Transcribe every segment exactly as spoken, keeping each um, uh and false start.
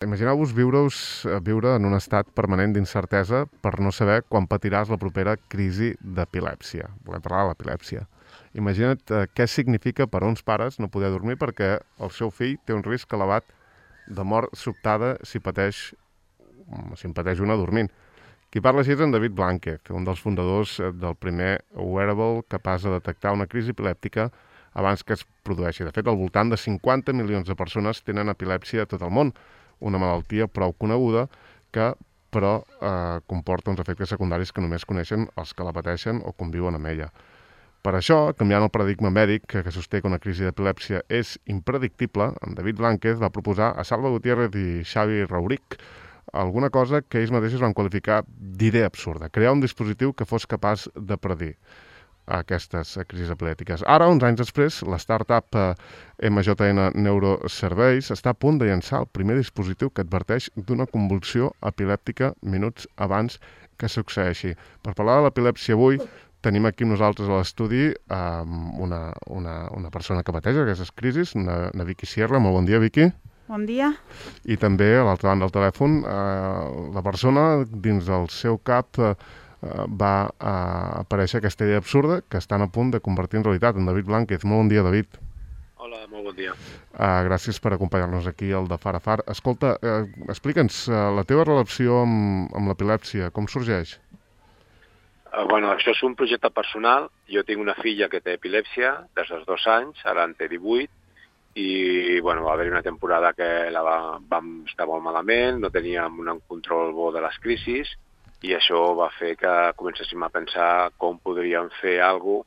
Imagineu-vos viure-us viure en un estat permanent d'incertesa per no saber quan patiràs la propera crisi d'epilèpsia. Volem parlar de l'epilèpsia. Imagina't eh, què significa per a uns pares no poder dormir perquè el seu fill té un risc elevat de mort sobtada si pateix, si en pateix una dormint. Qui parla així és en David Blanquez, un dels fundadors del primer wearable capaç de detectar una crisi epilèptica abans que es produeixi. De fet, al voltant de cinquanta milions de persones tenen epilèpsia a tot el món, una malaltia prou coneguda que, però, eh, comporta uns efectes secundaris que només coneixen els que la pateixen o conviuen amb ella. Per això, canviant el paradigma mèdic que, que sosté que una crisi d'epilèpsia és impredictible, en David Blanquez va proposar a Salva Gutiérrez i Xavi Rauric alguna cosa que ells mateixos van qualificar d'idea absurda, crear un dispositiu que fos capaç de predir aquestes crisis epilèptiques. Ara, uns anys després, la startup M J N Neurosurveys està a punt de llançar el primer dispositiu que adverteix d'una convulsió epilèptica minuts abans que succeeixi. Per parlar de l'epilèpsia avui, tenim aquí amb nosaltres a l'estudi um, una, una, una persona que pateix aquestes crisis, una, una Vicky Sierra. Molt bon dia, Vicky. Bon dia. I també, a l'altra banda del telèfon, eh, la persona dins del seu cap eh, va uh, aparèixer aquesta idea absurda que estan a punt de convertir en realitat. En David Blanquez. Molt bon dia, David. Hola, molt bon dia. Uh, gràcies per acompanyar-nos aquí al de Far a Far. Escolta, uh, explica'ns uh, la teva relació amb, amb l'epilèpsia, com sorgeix? Uh, bueno, això és un projecte personal. Jo tinc una filla que té epilèpsia des dels dos anys, ara en té divuit, i bueno, va haver una temporada que la va, vam estar molt malament, no teníem un control bo de les crisis, i això va fer que comencéssim a pensar com podríem fer alguna cosa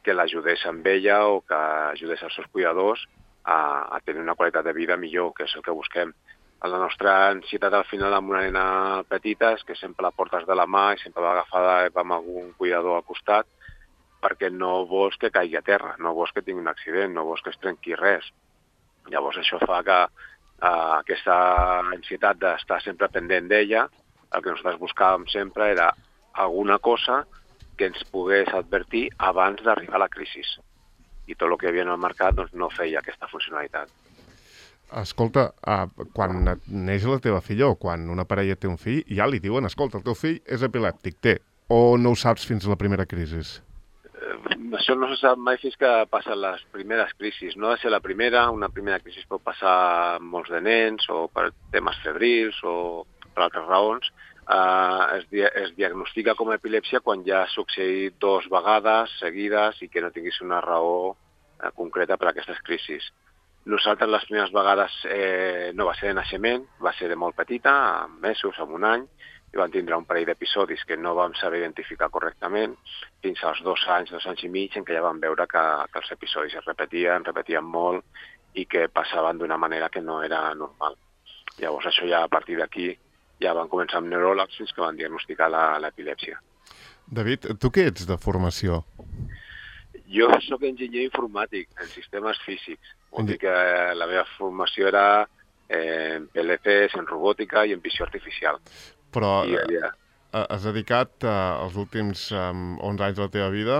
que l'ajudés amb ella o que ajudés els seus cuidadors a, a tenir una qualitat de vida millor, que és el que busquem. La nostra ansietat al final amb una nena petita és que sempre la portes de la mà i sempre va agafada amb algun cuidador al costat perquè no vols que caigui a terra, no vols que tingui un accident, no vols que es trenqui res. Llavors això fa que uh, aquesta ansietat d'estar sempre pendent d'ella, el que nosaltres buscàvem sempre era alguna cosa que ens pogués advertir abans d'arribar a la crisi. I tot el que hi havia en el mercat doncs, no feia aquesta funcionalitat. Escolta, uh, quan neix la teva filla o quan una parella té un fill, ja li diuen, escolta, el teu fill és epilèptic, té, o no ho saps fins a la primera crisi? Eh, això no se sap mai fins que passen les primeres crisis. No ha de ser la primera, una primera crisi pot passar molts de nens o per temes febrils o per altres raons. Uh, es, di es diagnostica com a epilèpsia quan ja ha succeït dues vegades seguides i que no tinguis una raó uh, concreta per a aquestes crisis. Nosaltres les primeres vegades eh, no va ser de naixement, va ser de molt petita, amb mesos, amb un any, i van tindre un parell d'episodis que no vam saber identificar correctament fins als dos anys, dos anys i mig, en què ja vam veure que, que els episodis es repetien, repetien molt i que passaven d'una manera que no era normal. Llavors això ja a partir d'aquí ja van començar amb neuròlegs fins que van diagnosticar l'epilèpsia. David, tu què ets de formació? Jo sóc enginyer informàtic en sistemes físics. Vol dir que la meva formació era en P L Cs, en robòtica i en visió artificial. Però I, ja... has dedicat eh, els últims um, onze anys de la teva vida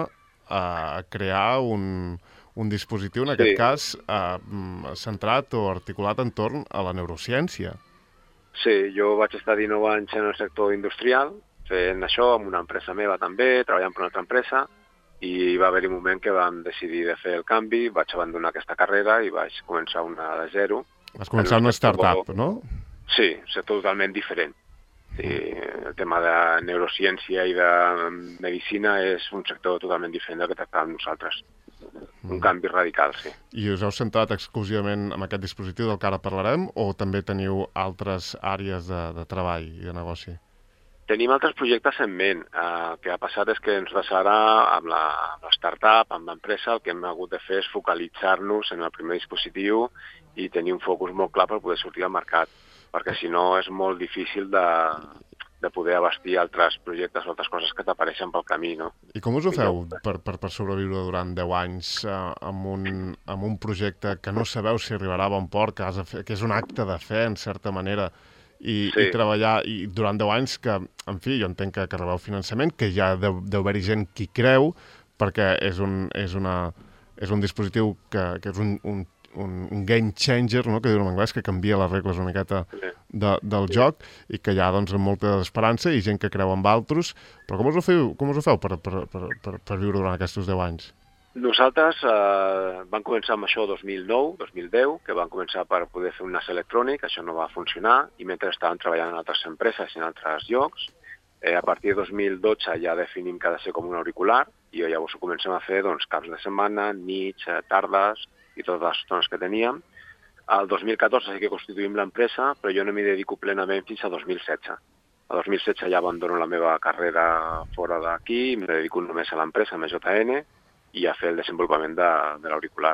a crear un, un dispositiu, en sí. aquest cas, eh, centrat o articulat entorn a la neurociència. Sí, jo vaig estar dinou anys en el sector industrial, fent això amb una empresa meva també, treballant per una altra empresa, i va haver-hi un moment que vam decidir de fer el canvi, vaig abandonar aquesta carrera i vaig començar una de zero. Vas començar una startup, no? Sí, és totalment diferent. Sí, el tema de neurociència i de medicina és un sector totalment diferent del que tractàvem nosaltres. Un canvi radical, sí. I us heu centrat exclusivament en aquest dispositiu del que ara parlarem o també teniu altres àrees de, de treball i de negoci? Tenim altres projectes en ment. El que ha passat és que ens ara, amb la, amb la startup, amb l'empresa, el que hem hagut de fer és focalitzar-nos en el primer dispositiu i tenir un focus molt clar per poder sortir al mercat, perquè si no és molt difícil de, de poder abastir altres projectes o altres coses que t'apareixen pel camí, no? I com us ho feu per, per, per sobreviure durant deu anys eh, amb, un, amb un projecte que no sabeu si arribarà a bon port, que, has de fer, que és un acte de fe, en certa manera, i, sí. i treballar i durant deu anys que, en fi, jo entenc que, que rebeu finançament, que ja deu, deu haver-hi gent qui creu, perquè és un, és una, és un dispositiu que, que és un, un un, un game changer, no?, que diuen en anglès, que canvia les regles una miqueta de, del sí. joc, i que hi ha doncs, molta esperança i gent que creu en altres. Però com us ho feu, com us ho feu per, per, per, per, per viure durant aquests deu anys? Nosaltres eh, vam començar amb això dos mil nou, dos mil deu, que vam començar per poder fer un nas electrònic, això no va funcionar, i mentre estàvem treballant en altres empreses i en altres llocs, eh, a partir de dos mil dotze ja definim que ha de ser com un auricular, i llavors ho comencem a fer doncs, caps de setmana, nits, tardes, i totes les estones que teníem. El dos mil catorze sí que constituïm l'empresa, però jo no m'hi dedico plenament fins a dos mil setze. A dos mil setze ja abandono la meva carrera fora d'aquí, em dedico només a l'empresa, a M J N, i a fer el desenvolupament de, de l'auricular.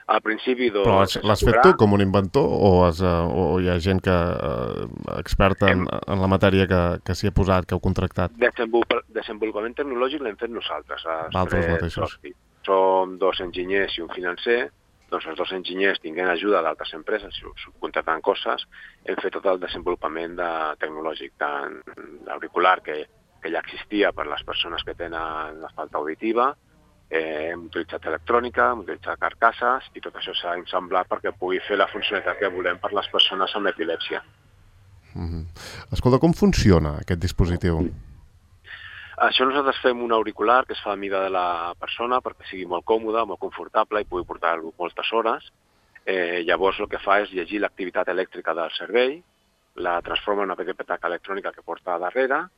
Al principi... Doncs, però l'has fet tu com un inventor o, has, o hi ha gent que uh, experta en, en la matèria que, que s'hi ha posat, que heu contractat? Desenvolupament, desenvolupament tecnològic l'hem fet nosaltres. Altres mateixos. Som dos enginyers i un financer, doncs els dos enginyers tinguent ajuda d'altres empreses, subcontractant coses, hem fet tot el desenvolupament de, tecnològic tant l'auricular que, que ja existia per a les persones que tenen la falta auditiva. Eh, hem utilitzat electrònica, hem utilitzat carcasses i tot això s'ha ensamblat perquè pugui fer la funcionalitat que volem per les persones amb epilèpsia. Mm-hmm. Escolta, com funciona aquest dispositiu? Això nosaltres fem un auricular que es fa a mida de la persona perquè sigui molt còmode, molt confortable i pugui portar-lo moltes hores. Eh, llavors el que fa és llegir l'activitat elèctrica del cervell, la transforma en una petita petaca electrònica que porta a darrere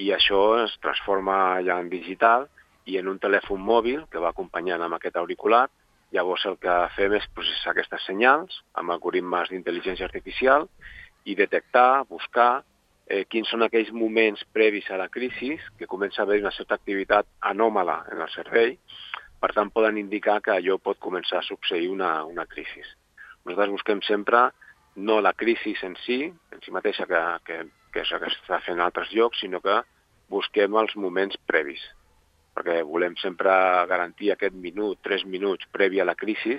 i això es transforma ja en digital i en un telèfon mòbil que va acompanyant amb aquest auricular. Llavors el que fem és processar aquestes senyals amb algoritmes d'intel·ligència artificial i detectar, buscar eh, quins són aquells moments previs a la crisi que comença a haver una certa activitat anòmala en el cervell, per tant poden indicar que allò pot començar a succeir una, una crisi. Nosaltres busquem sempre no la crisi en si, en si mateixa que, que, que és el que s'està fent en altres llocs, sinó que busquem els moments previs, perquè volem sempre garantir aquest minut, tres minuts previ a la crisi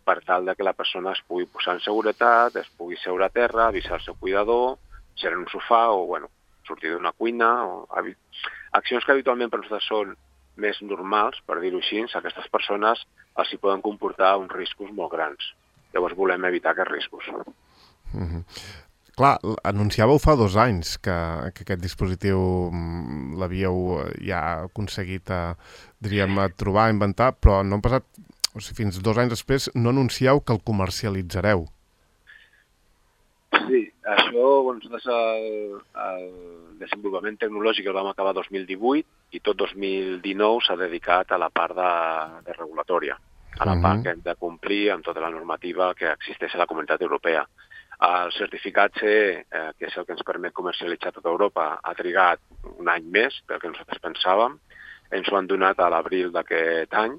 per tal de que la persona es pugui posar en seguretat, es pugui seure a terra, avisar el seu cuidador, ser en un sofà o bueno, sortir d'una cuina. O... Accions que habitualment per nosaltres són més normals, per dir-ho així, a aquestes persones els hi poden comportar uns riscos molt grans. Llavors volem evitar aquests riscos. Mm-hmm. Clar, anunciàveu fa dos anys que, que aquest dispositiu l'havíeu ja aconseguit a, diríem, a trobar, a inventar, però no han passat, o sigui, fins dos anys després no anuncieu que el comercialitzareu. Sí, això, bueno, nosaltres el, el desenvolupament tecnològic el vam acabar dos mil divuit i tot dos mil dinou s'ha dedicat a la part de, de regulatòria, a la uh-huh. part que hem de complir amb tota la normativa que existeix a la Comunitat Europea. El certificat C, eh, que és el que ens permet comercialitzar a tota Europa, ha trigat un any més del que nosaltres pensàvem. Ens ho han donat a l'abril d'aquest any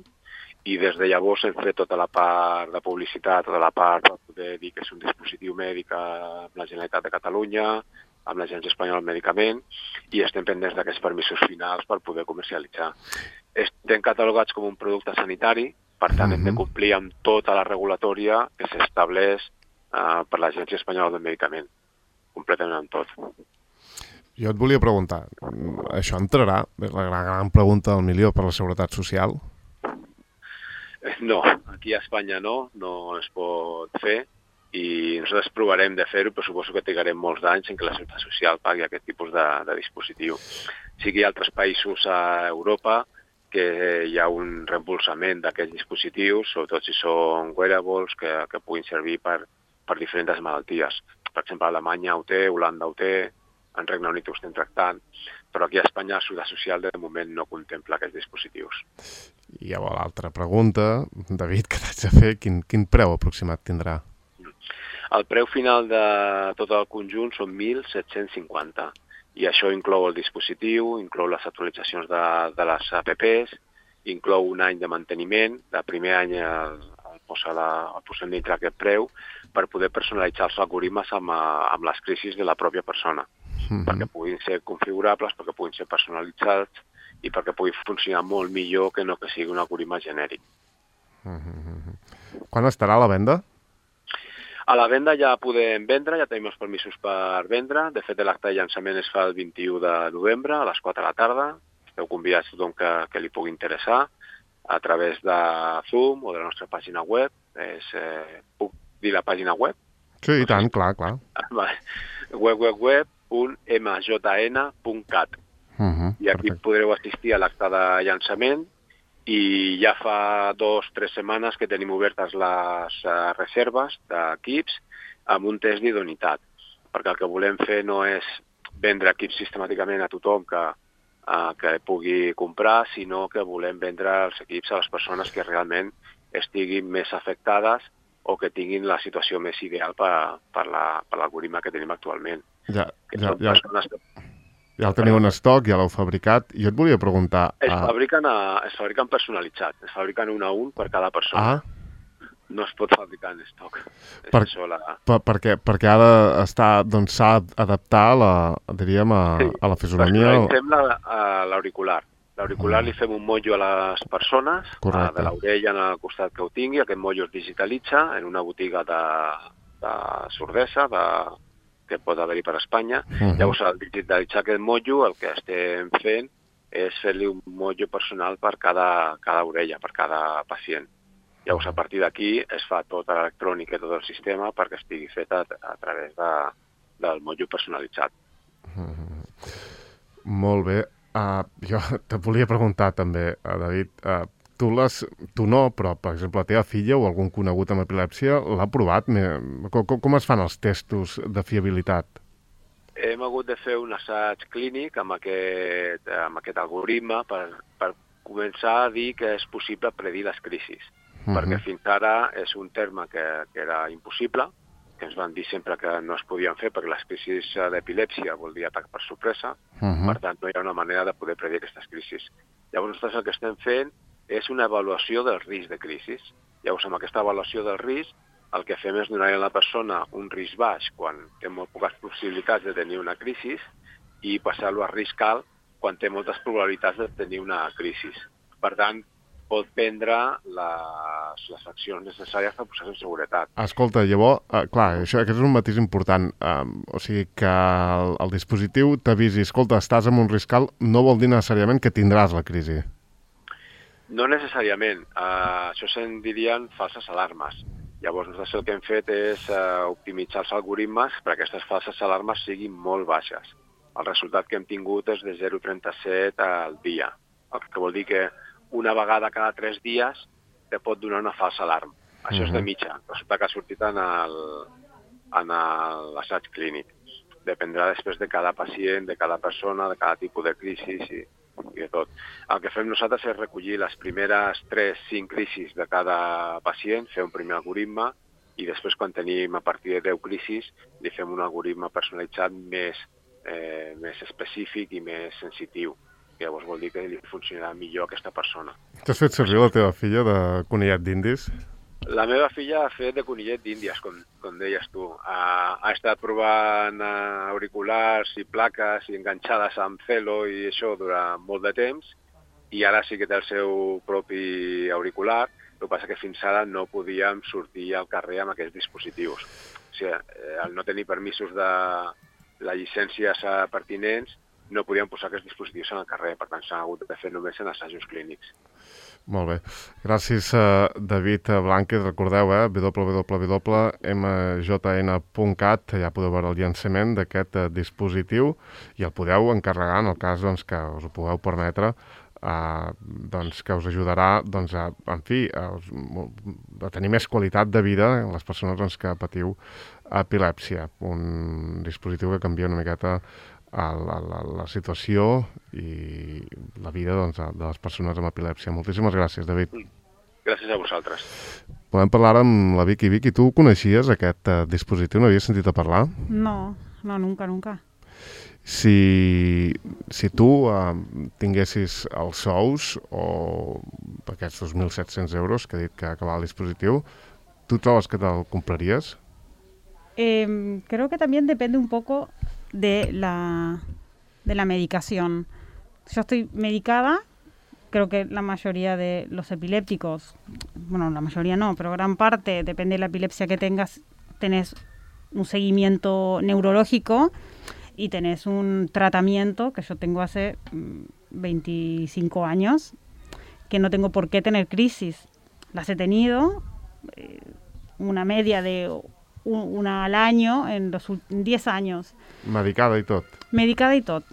i des de llavors hem fet tota la part de publicitat, tota la part per poder dir que és un dispositiu mèdic amb la Generalitat de Catalunya, amb l'Agència Espanyola del Medicament i estem pendents d'aquests permisos finals per poder comercialitzar. Estem catalogats com un producte sanitari, per tant uh-huh. hem de complir amb tota la regulatòria que s'estableix Uh, per l'Agència Espanyola del Medicament, completament amb tot. Jo et volia preguntar, això entrarà, és la gran, gran pregunta del milió, per la Seguretat Social? No, aquí a Espanya no, no es pot fer i nosaltres provarem de fer-ho, però suposo que trigarem molts anys en què la Seguretat Social pagui aquest tipus de, de dispositiu. Sí que hi ha altres països a Europa que hi ha un reembolsament d'aquests dispositius, sobretot si són wearables que, que puguin servir per per diferents malalties. Per exemple, Alemanya ho té, Holanda ho té, en Regne Unit ho estem tractant, però aquí a Espanya la Seguretat Social de moment no contempla aquests dispositius. I llavors l'altra pregunta, David, que t'haig de fer, quin, quin preu aproximat tindrà? El preu final de tot el conjunt són mil set-cents cinquanta i això inclou el dispositiu, inclou les actualitzacions de, de les apps, inclou un any de manteniment, de primer any el, el posa la, el posem dintre aquest preu per poder personalitzar els algoritmes amb, amb les crisis de la pròpia persona, mm-hmm. perquè puguin ser configurables, perquè puguin ser personalitzats i perquè pugui funcionar molt millor que no que sigui un algoritme genèric. Mm-hmm. Quan estarà a la venda? A la venda ja podem vendre, ja tenim els permisos per vendre. De fet, l'acte de llançament es fa el vint-i-u de novembre a les quatre de la tarda. Esteu convidats a tothom que, que li pugui interessar a través de Zoom o de la nostra pàgina web. És, eh, puc dir la pàgina web? Sí, i tant, clar, clar. web web web punt m j n punt cat. Uh -huh, I aquí perfecte. podreu assistir a l'acte de llançament i ja fa dos o tres setmanes que tenim obertes les uh, reserves d'equips amb un test d'idoneïtat, perquè el que volem fer no és vendre equips sistemàticament a tothom que, uh, que pugui comprar, sinó que volem vendre els equips a les persones que realment estiguin més afectades o que tinguin la situació més ideal per, per l'algoritme que tenim actualment. Ja, que ja, són ja. persones que... Ja el teniu en estoc, ja l'heu fabricat. Jo et volia preguntar... Es uh... fabriquen, a, es fabriquen personalitzats, es fabriquen un a un per cada persona. Ah. No es pot fabricar en estoc. Per, això, la... per, perquè, perquè ha d'estar, doncs s'ha d'adaptar a la, diríem, a, sí, a la fisonomia. Personalitzem l'auricular. L'auricular mm. li fem un motllo a les persones, a, de l'orella en el costat que ho tingui. Aquest motllo es digitalitza en una botiga de, de sordesa, de, que pot haver-hi per Espanya. Uh-huh. Llavors, al digitalitzar aquest motllo, el que estem fent és fer-li un motllo personal per cada, cada orella, per cada pacient. Llavors, a partir d'aquí es fa tota l'electrònica i tot el sistema perquè estigui fet a, a través de, del motllo personalitzat. Uh-huh. Molt bé. Uh, jo te volia preguntar també, uh, David, uh, tu, les, tu no, però, per exemple, la teva filla o algun conegut amb epilèpsia l'ha provat? Com, com es fan els testos de fiabilitat? Hem hagut de fer un assaig clínic amb aquest, amb aquest algoritme per, per començar a dir que és possible predir les crisis, uh-huh. perquè fins ara és un terme que, que era impossible, que ens van dir sempre que no es podien fer perquè les crisis d'epilèpsia vol dir atac per sorpresa, uh-huh. per tant no hi ha una manera de poder predir aquestes crisis. Llavors nosaltres el que estem fent és una avaluació del risc de crisis. Llavors amb aquesta avaluació del risc el que fem és donar a la persona un risc baix quan té molt poques possibilitats de tenir una crisi i passar-lo a risc alt quan té moltes probabilitats de tenir una crisi. Per tant, pot prendre les, les accions necessàries per posar-se en seguretat. Escolta, llavors, uh, clar, això aquest és un matís important. Um, o sigui, que el, el dispositiu t'avisi, escolta, estàs en un risc alt, no vol dir necessàriament que tindràs la crisi. No necessàriament. Uh, això se'n dirien falses alarmes. Llavors, nosaltres el que hem fet és uh, optimitzar els algoritmes perquè aquestes falses alarmes siguin molt baixes. El resultat que hem tingut és de zero coma trenta-set al dia, el que vol dir que una vegada cada tres dies te pot donar una falsa alarma. Això uh-huh. és de mitja. Resulta que ha sortit en l'assaig clínic. Dependrà després de cada pacient, de cada persona, de cada tipus de crisi i, i de tot. El que fem nosaltres és recollir les primeres tres cinc crisis de cada pacient, fer un primer algoritme i després quan tenim a partir de deu crisis li fem un algoritme personalitzat més, eh, més específic i més sensitiu. Llavors vol dir que li funcionarà millor a aquesta persona. T'has fet servir la teva filla de conillet d'indis? La meva filla ha fet de conillet d'índies, com, com deies tu. Ha, ha estat provant auriculars i plaques i enganxades amb celo i això durant molt de temps i ara sí que té el seu propi auricular. El que passa que fins ara no podíem sortir al carrer amb aquests dispositius. O sigui, al no tenir permisos de les llicències pertinents, no podíem posar aquests dispositius en el carrer, per tant s'han hagut de fer només en assajos clínics. Molt bé. Gràcies, David Blànquez. Recordeu, eh, w w w punt m j n punt cat, ja podeu veure el llançament d'aquest dispositiu i el podeu encarregar en el cas doncs, que us ho pugueu permetre, eh, doncs, que us ajudarà doncs, a, en fi, a, a tenir més qualitat de vida en les persones doncs, que patiu epilèpsia. Un dispositiu que canvia una miqueta A la, la, la situació i la vida doncs, de les persones amb epilèpsia. Moltíssimes gràcies, David. Gràcies a vosaltres. Podem parlar amb la Vicky. Vicky, tu coneixies aquest uh, dispositiu? No havies sentit a parlar? No, no, nunca, nunca. Si, si tu uh, tinguessis els sous o aquests dos mil set-cents euros que ha dit que acabava el dispositiu, tu trobes que te'l compraries? Eh, creo que también depende un poco de la, de la medicación. Yo estoy medicada, creo que la mayoría de los epilépticos, bueno, la mayoría no, pero gran parte, depende de la epilepsia que tengas, tenés un seguimiento neurológico y tenés un tratamiento que yo tengo hace veinticinco años, que no tengo por qué tener crisis. Las he tenido, eh, una media de un, una al año en los diez años. Medicada y tot. Medicada y todo.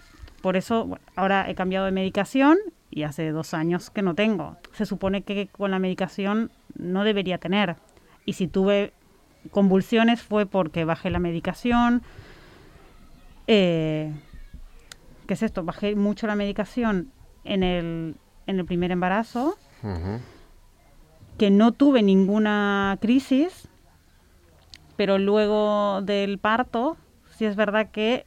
Por eso, bueno, ahora he cambiado de medicación y hace dos años que no tengo. Se supone que con la medicación no debería tener. Y si tuve convulsiones fue porque bajé la medicación. Eh, ¿Qué es esto? Bajé mucho la medicación en el, en el primer embarazo, Uh-huh. que no tuve ninguna crisis, pero luego del parto, sí es verdad que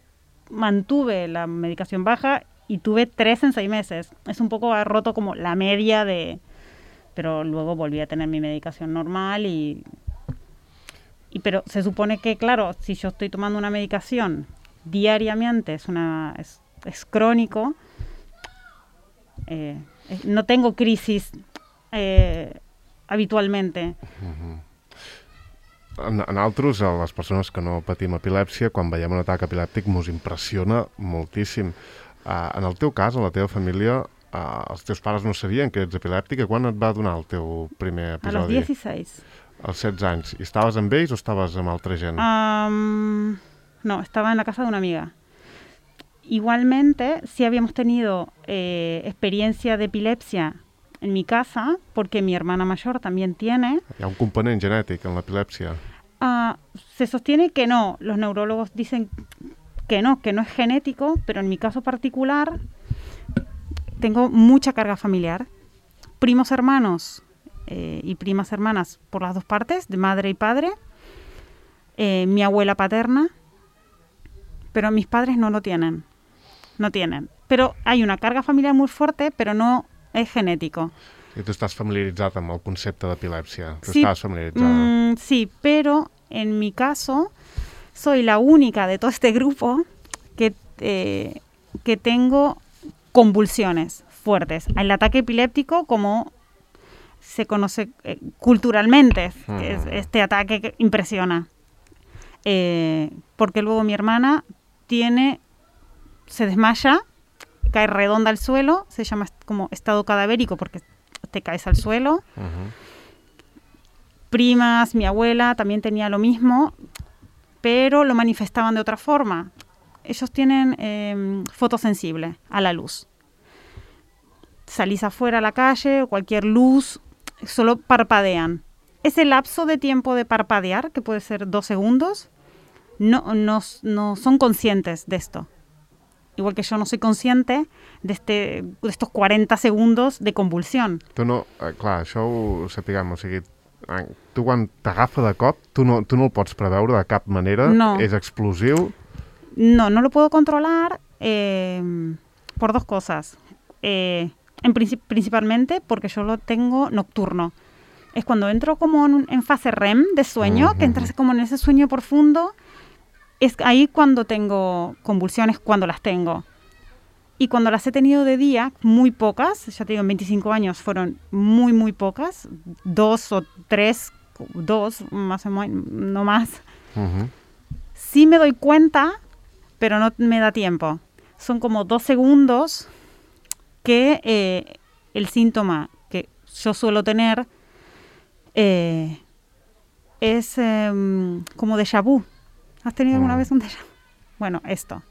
mantuve la medicación baja y tuve tres en seis meses. Es un poco ha roto como la media de... Pero luego volví a tener mi medicación normal y... y pero se supone que, claro, si yo estoy tomando una medicación diariamente, es, una, es, es crónico, eh, no tengo crisis eh, habitualment. Uh-huh. En, en altres, a les persones que no patim epilèpsia, quan veiem un atac epilèptic mos impressiona moltíssim. Uh, en el teu cas, en la teva família, uh, els teus pares no sabien que ets epilèptica. Quan et va donar el teu primer episodi? A los dieciséis. Als setze anys. I estaves amb ells o estaves amb altra gent? Um, no, estaba en la casa de una amiga. Igualmente, sí habíamos tenido eh, experiencia de epilepsia en mi casa, porque mi hermana mayor también tiene. Hi ha un component genètic en l'epilèpsia? Uh, se sostiene que no. Los neurólogos dicen que no, que no es genético, pero en mi caso particular tengo mucha carga familiar. Primos hermanos eh, y primas hermanas por las dos partes, de madre y padre. Eh, mi abuela paterna, pero mis padres no lo tienen. No tienen. Pero hay una carga familiar muy fuerte, pero no es genético. I tu estàs familiaritzat amb el concepte d'epilèpsia? Tu Sí, estàs familiaritzada? mm, sí, pero en mi caso soy la única de todo este grupo que, eh, que tengo convulsiones fuertes. El ataque epiléptico, como se conoce eh, culturalmente, Uh-huh. es este ataque que impresiona. Eh, porque luego mi hermana tiene, se desmaya, cae redonda al suelo, se llama como estado cadavérico porque te caes al suelo. Uh-huh. Primas, mi abuela también tenía lo mismo, pero lo manifestaban de otra forma. Ellos tienen eh, fotosensible a la luz. Salís afuera a la calle, cualquier luz, solo parpadean. Ese lapso de tiempo de parpadear, que puede ser dos segundos, no, no, no son conscientes de esto. Igual que yo no soy consciente de, este, de estos cuarenta segundos de convulsión. Tu no, eh, clar, això ho sapiguem, o sigui, eh, tu quan t'agafa de cop, tu no, tu no el pots preveure de cap manera, No. és explosiu. No, no lo puedo controlar eh, por dos cosas. Eh, en princip- principalmente porque yo lo tengo nocturno. Es cuando entro como en, un- en fase R E M de sueño, Ujú. que entras como en ese sueño profundo. Es ahí cuando tengo convulsiones, cuando las tengo. Y cuando las he tenido de día, muy pocas, ya te digo, en veinticinco años fueron muy, muy pocas, dos o tres, dos, más o menos, no más. Uh-huh. Sí me doy cuenta, pero no me da tiempo. Son como dos segundos que eh, el síntoma que yo suelo tener eh, es eh, como déjà vu. ¿Has tenido alguna Mm. vez un déjà vu? Bueno, esto.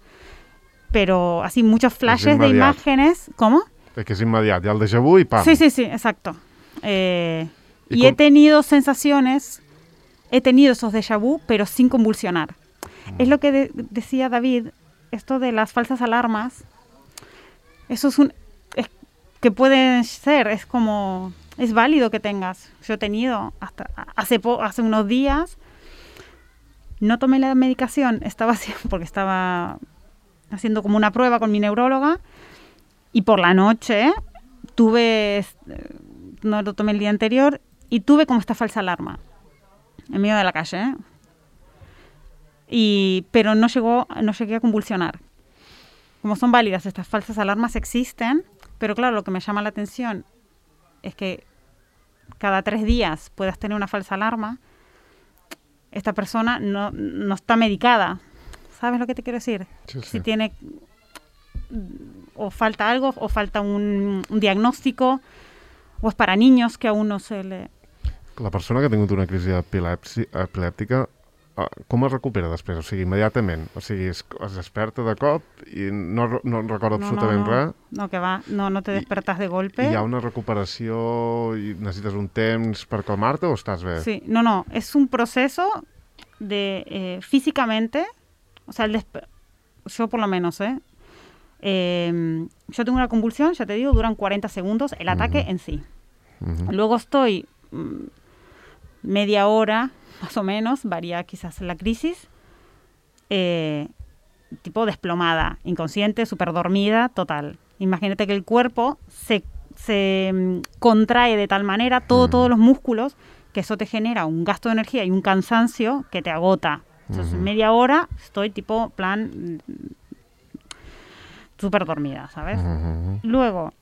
Pero así muchos flashes de inmediato. imágenes. ¿Cómo? És que és immediat, hi ha el déjà vu i pam. Sí, sí, sí, exacto. Eh, ¿Y y cómo- he tenido sensaciones, he tenido esos déjà vu, pero sin convulsionar. Es lo que de- decía David, esto de las falsas alarmas, eso es un... es que puede ser, es como... Es válido que tengas. Yo he tenido hasta hace, po- hace unos días, no tomé la medicación, estaba haciendo, porque estaba haciendo como una prueba con mi neuróloga, y por la noche tuve, eh, no lo tomé el día anterior, y tuve como esta falsa alarma en medio de la calle, ¿eh? Y, pero no llegó, no llegué a convulsionar. Como son válidas estas falsas alarmas, existen, pero claro, lo que me llama la atención es que cada tres días puedas tener una falsa alarma. Esta persona no, no está medicada. ¿Sabes lo que te quiero decir? Sí, sí. Si tiene o falta algo, o falta un, un diagnóstico, o es para niños que aún no se le... La persona que ha tingut una crisi epilèptica, com es recupera després? O sigui, immediatament? O sigui, es, es desperta de cop i no, no recorda no, absolutament no, no. res? No, que va. No, no te despertas de golpe. I hi ha una recuperació i necessites un temps per calmar-te o estàs bé? Sí, no, no. Es un proceso de eh, físicamente, o sea, el yo por lo menos, ¿eh? Eh, yo tengo una convulsión, ya te digo, duran cuarenta segundos el ataque uh-huh. en sí. Uh-huh. Luego estoy mmm, media hora, más o menos, varía quizás la crisis, eh, tipo desplomada, inconsciente, súper dormida, total. Imagínate que el cuerpo se, se um, contrae de tal manera, todo, uh-huh. todos los músculos, que eso te genera un gasto de energía y un cansancio que te agota. Entonces, uh-huh. media hora estoy tipo plan súper dormida, ¿sabes? Uh-huh. Luego,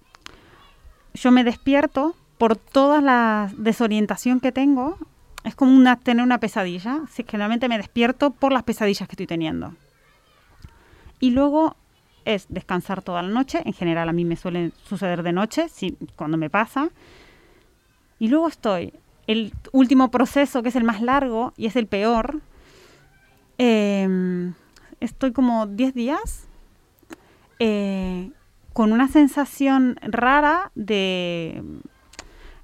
yo me despierto por toda la desorientación que tengo. Es como una, tener una pesadilla. Sí, generalmente me despierto por las pesadillas que estoy teniendo. Y luego es descansar toda la noche. En general a mí me suele suceder de noche, sí, cuando me pasa. Y luego estoy, el último proceso, que es el más largo y es el peor. Eh, estoy como diez días eh, con una sensación rara de,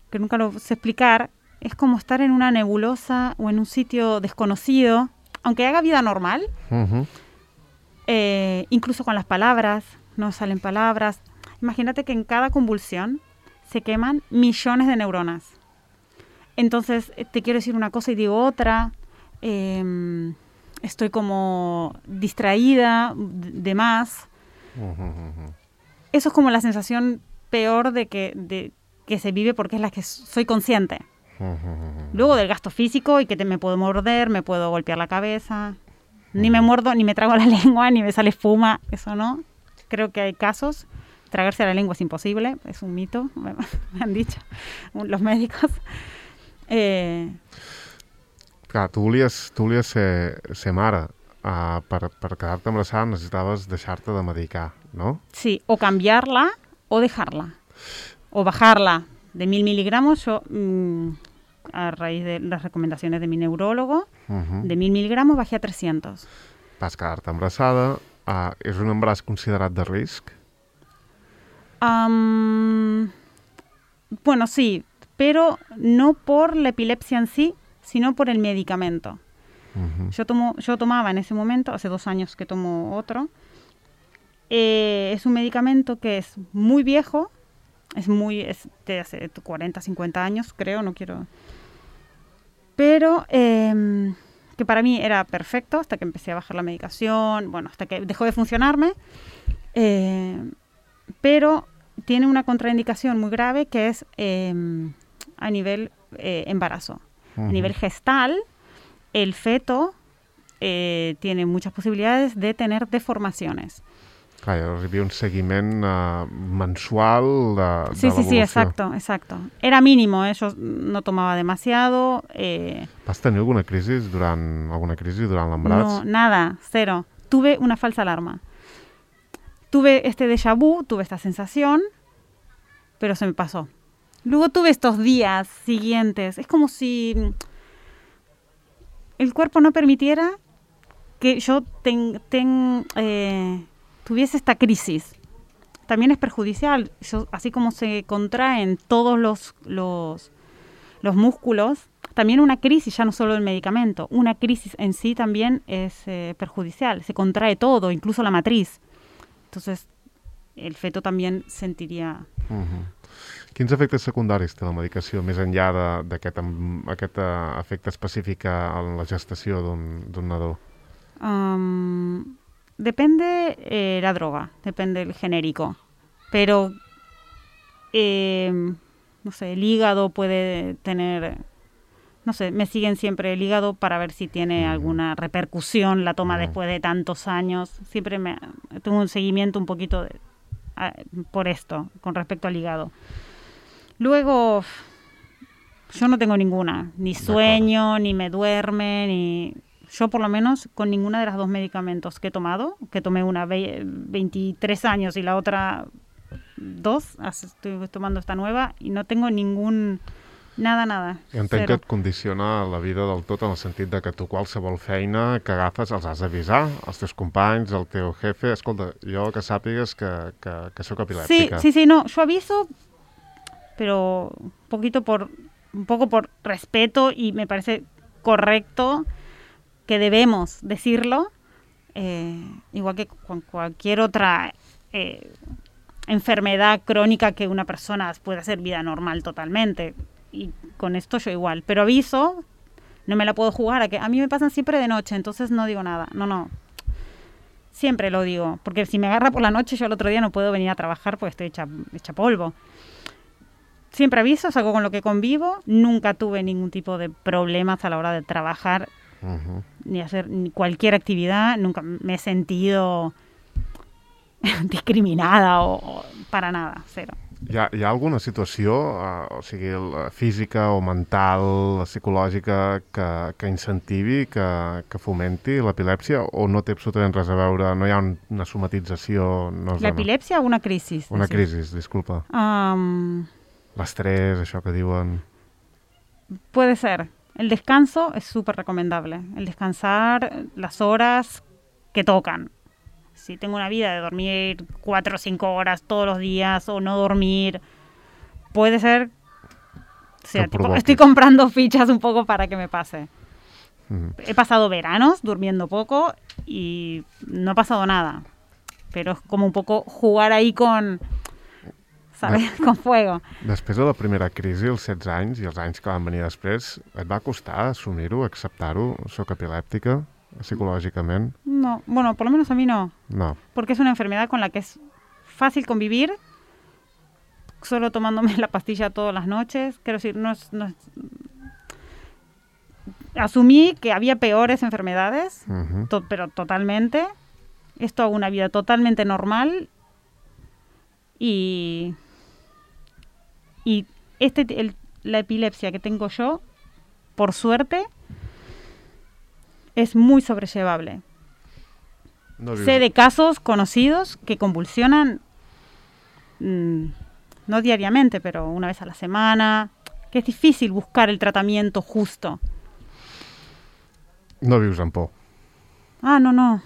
que nunca lo sé explicar, es como estar en una nebulosa o en un sitio desconocido, aunque haga vida normal, uh-huh. eh, incluso con las palabras, no salen palabras. Imagínate que en cada convulsión se queman millones de neuronas. Entonces te quiero decir una cosa y digo otra, eh, estoy como distraída de más. Uh-huh. Eso es como la sensación peor de que, de, que se vive porque es la que soy consciente. Uh-huh. Luego del gasto físico y que te, me puedo morder, me puedo golpear la cabeza. Uh-huh. Ni me muerdo, ni me trago la lengua, ni me sale espuma, eso no. Creo que hay casos. Tragarse la lengua es imposible, es un mito, me han dicho los médicos. Eh... Clar, tu volies, tu volies ser, ser mare. Uh, per, per quedar-te embarassada necessitaves deixar-te de medicar, ¿no? Sí, o cambiarla o dejarla. O bajarla de mil miligramos. Yo, mmm, a raíz de las recomendaciones de mi neurólogo, uh-huh. de mil miligramos bajé a trescientos. Vas quedar-te embarassada. Uh, és un embaràs considerat de risc? Um, bueno, sí, pero no por la epilepsia en sí, sino por el medicamento. Uh-huh. Yo, tomo, yo tomaba en ese momento, hace dos años que tomo otro, eh, es un medicamento que es muy viejo, es muy, es de hace cuarenta, cincuenta años, creo, no quiero... Pero eh, que para mí era perfecto hasta que empecé a bajar la medicación, bueno, hasta que dejó de funcionarme, eh, pero tiene una contraindicación muy grave que es eh, a nivel eh, embarazo. Uh-huh. A nivel gestal, el feto eh, tiene muchas posibilidades de tener deformaciones. Clar, hi havia un seguiment uh, mensual de, sí, de sí, sí, exacto, exacto. Era mínimo, eh? Yo no tomaba demasiado. Eh... ¿Vas tenir alguna crisi durant, alguna crisi durant l'embaràs? No, nada, cero. Tuve una falsa alarma. Tuve este déjà vu, tuve esta sensación, pero se me pasó. Luego tuve estos días siguientes. Es como si el cuerpo no permitiera que yo ten, ten, eh, tuviese esta crisis. También es perjudicial. Yo, así como se contraen todos los, los, los músculos, también una crisis, ya no solo el medicamento, una crisis en sí también es eh, perjudicial. Se contrae todo, incluso la matriz. Entonces, el feto también sentiría... Uh-huh. Quins efectes secundaris té la medicació, més enllà d'aquest aquest efecte específic en la gestació d'un nadó? Um, depende eh, la droga, depende el genérico. Pero, eh, no sé, el hígado puede tener... No sé, me siguen siempre el hígado para ver si tiene uh-huh. alguna repercusión la toma uh-huh. después de tantos años. Siempre me, tengo un seguimiento un poquito de, a, por esto, con respecto al hígado. Luego, yo no tengo ninguna, ni sueño, ni me duerme, ni... Yo por lo menos con ninguna de las dos medicamentos que he tomado, que tomé una ve- veintitrés años y la otra dos, estoy tomando esta nueva y no tengo ningún Nada, nada. I entenc Cero. que et condiciona la vida del tot en el sentit de que tu qualsevol feina que agafes els has d'avisar, els teus companys, el teu jefe. Escolta, jo que sàpigues que, que, que sóc Sí, epilèptica. sí, sí, no, yo aviso, pero un poquito por, un poco por respeto y me parece correcto que debemos decirlo, eh, igual que con cualquier otra eh, enfermedad crónica que una persona puede hacer vida normal totalmente. Y con esto yo igual, pero aviso, no me la puedo jugar a que a mí me pasan siempre de noche, entonces no digo nada. No, no. Siempre lo digo, porque si me agarra por la noche yo el otro día no puedo venir a trabajar porque estoy hecha, hecha polvo. Siempre aviso, es algo con lo que convivo, nunca tuve ningún tipo de problemas a la hora de trabajar Uh-huh. ni hacer ni cualquier actividad, nunca me he sentido discriminada o, o para nada, cero. Hi ha, hi ha alguna situació, uh, o sigui, la física o mental, psicològica, que, que incentivi, que, que fomenti l'epilèpsia, o no té absolutament res a veure, no hi ha un, una somatització? No es ¿La dona? epilepsia o una crisis? Una decís? crisi, disculpa. Um, L'estrès, això que diuen... puede ser. El descanso es súper recomendable. El descansar las horas que tocan. Si tengo una vida de dormir cuatro o cinco horas todos los días o no dormir, puede ser... O sea, Que tipo, provoque. estoy comprando fichas un poco para que me pase. Mm. He pasado veranos durmiendo poco y no ha pasado nada. Pero es como un poco jugar ahí con... ¿sabes? Con fuego. Després de la primera crisi, els setze anys, i els anys que van venir després, et va costar assumir-ho, acceptar-ho? Soc epilèptica, psicològicament? No, bueno, por lo menos a mí no. No. Porque es una enfermedad con la que es fácil convivir, solo tomándome la pastilla todas las noches. Quiero decir, no es, no es... Asumí que había peores enfermedades, Uh-huh. to- pero totalmente. Esto hago una vida totalmente normal y... Y este, el- la epilepsia que tengo yo, por suerte, es muy sobrellevable. No vius... Sé de casos conocidos que convulsionan, mmm, no diariamente, pero una vez a la semana, que es difícil buscar el tratamiento justo. No vius amb por. Ah, no, no.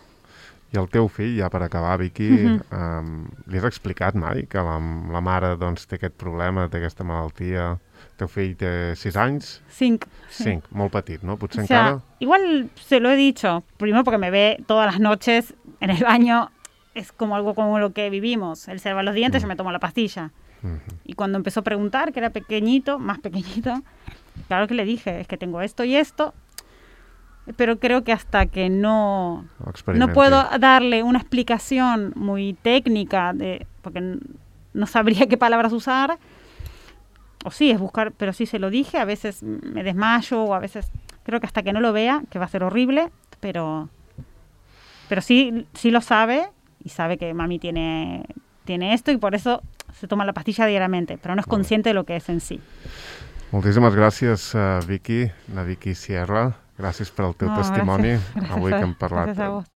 I el teu fill, ja per acabar, Vicky, Mhm. um, li has explicat mai que la, la mare doncs, té aquest problema, té aquesta malaltia? El teu fill té sis anys? Cinc. sí. Cinc, molt petit, no? Potser O sea, encara... igual se lo he dicho, primero porque me ve todas las noches en el baño, es como algo como lo que vivimos. Él se lava los dientes, Mm. yo me tomo la pastilla. Mhm. Y cuando empezó a preguntar, que era pequeñito, más pequeñito, claro que le dije, es que tengo esto y esto, pero creo que hasta que no, Ho no experimenti. puedo darle una explicación muy técnica, de, porque n- no sabría qué palabras usar, o sí, es buscar, pero sí se lo dije, a veces me desmayo, o a veces, creo que hasta que no lo vea, que va a ser horrible, pero, pero sí, sí lo sabe, y sabe que mami tiene, tiene esto, y por eso se toma la pastilla diariamente, pero no es Vale. consciente de lo que es en sí. Moltíssimes gràcies, uh, Vicky, la Vicky Sierra. Gràcies per al teu No, testimoni, gràcies. avui que hem Gràcies parlat a vos.